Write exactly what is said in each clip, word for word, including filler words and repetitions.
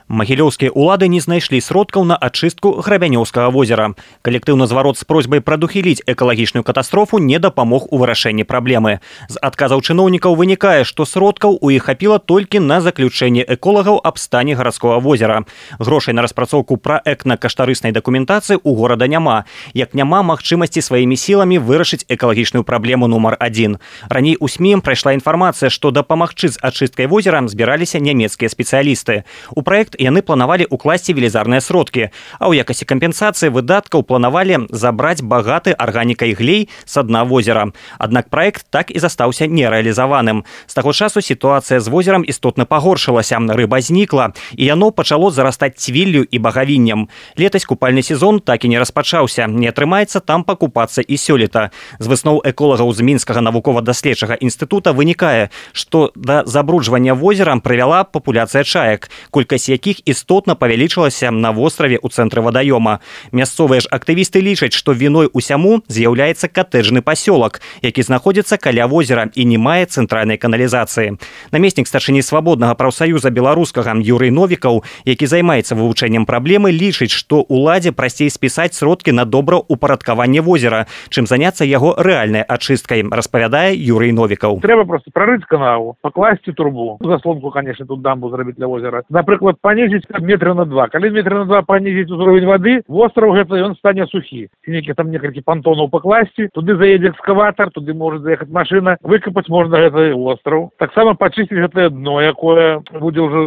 Магілёўскія ўлады не знайшлі сродкаў на ачыстку Грабянёўскага возера. Калектыўны зварот з просьбай прадухіліць экалагічную катастрофу не дапамог у вырашэнні праблемы. З адказаў чыноўнікаў вынікае, што сродкаў у іх хапіла толькі на заключэнне эколагаў аб стане гарадскога возера. Грошай на распрацоўку праектна-каштарыснай дакументацыі ў горада няма, як няма магчымасці сваімі сіламі вырашыць экалагічную праблему нумар адзін. Раней у СМІ прайшла інфармацыя, што дапамагчы з ачысткай возера збіраліся нямецкія спецыялісты. У праект яны планавалі укласці велізарныя сродкі, а ў якасці кампенсацыі выдаткаў планавалі забраць багаты арганікай глей са дна возера. Аднак праект так і застаўся нерэалізаваным. З таго часу сітуацыя з возерам істотна пагоршылася, рыба знікла, і яно пачало зарастаць цвіллю і багавіннем. Летась купальны сезон так і не распачаўся, не атрымаецца там пакупацца і сёлета. З высноў эколагаў з Мінскага навукова-даследчага інстытута вынікае, што да забруджвання возера прывяла папуляцыя чаек, колькасць якіх істотна павялічылася на востраве ў цэнтры вадаёма. Мясцовыя ж актывісты лічаць, што віной усяму з'яўляецца катэджны пасёлак, які знаходзіцца каля возера і не мае цэнтральнай каналізацыі. Намеснік старшыні свабоднага прафсаюза беларускага Юрый Новікаў, які займаецца вывучэннем праблемы, лічыць, што ўладзе прасцей спісаць сродкі на добраўпарадкаванне возера, чым заняцца яго рэальнай ачысткай, распавядае Юрый Новікаў. Трэба проста прарыць канаву, пакласці трубу. Заслонку, конечно, тут дамбу зрабіць для возера. Напрыклад, панізіць метра на два. Калі метра на два панізіць узровень вады, востраў гэта ён стане сухі. Нейкі там некалькі пантонаў пакласці, туды заедзе экскаватар, туды можа заехаць машына, выкапаць можна гэты востраў. Таксама пачысціць гэтае дно, якое будзе ўжо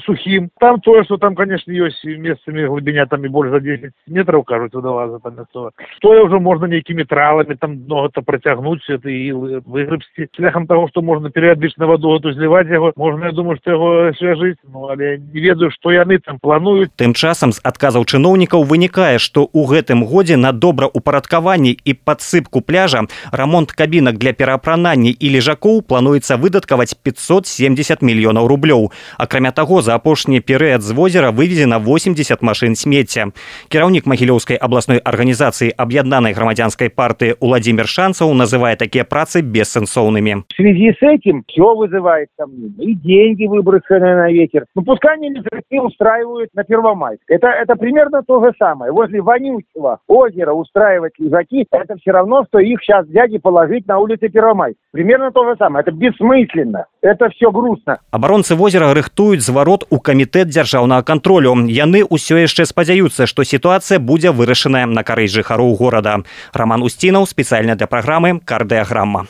сухім. Там тое, што там, конечно, ёсць месцамі глыбіня там і больш за дзесяць метраў, кажуць, вадалаза там мясцова. Тое ўжо можна нейкімі траламі там дно гэта працягнуць, гэта і выграбсці. Шляхам таго, што можна перыядычна ваду гэту зліваць яго, можна, я думаю, што яго свяжыць, ну, але не ведаю, што яны там плануюць. Тым часам з адказаў чыноўнікаў вынікае, што ў гэтым годзе на добраўпарадкаванне і падсыпку пляжа, рамонт кабінак для пераапранання і лежакоў плануецца выдаткаваць пятьсот семьдесят мільёнаў рублёў. Акрамя таго, за апошні перыяд з возера вывезена восемьдесят машын смецця. Кіраўнік Магілёўскай абласной арганізацыі аб'яднанай грамадзянскай партыі Уладзімір Шанцаў называе такія працы бессэнсоўнымі. В связи с этим все вызывает сомнения. И деньги выброшенные на ветер. Ну, пускай они не устраивают на Первомайск. Это, это примерно то же самое. Возле вонючего озера устраивать лежаки, это все равно, что их сейчас взять и положить на улице Первомайск. Примерно то же самое. Это бессмысленно. Это все грустно. Абаронцы возера рыхтуюць зварот у камітэт дзяржаўнага кантролю. Яны ўсё яшчэ спадзяюцца, што сітуацыя будзе вырашаная на карысць жыхароў горада. Роман Устінаў, спецыяльна для праграмы «Кардыяграма».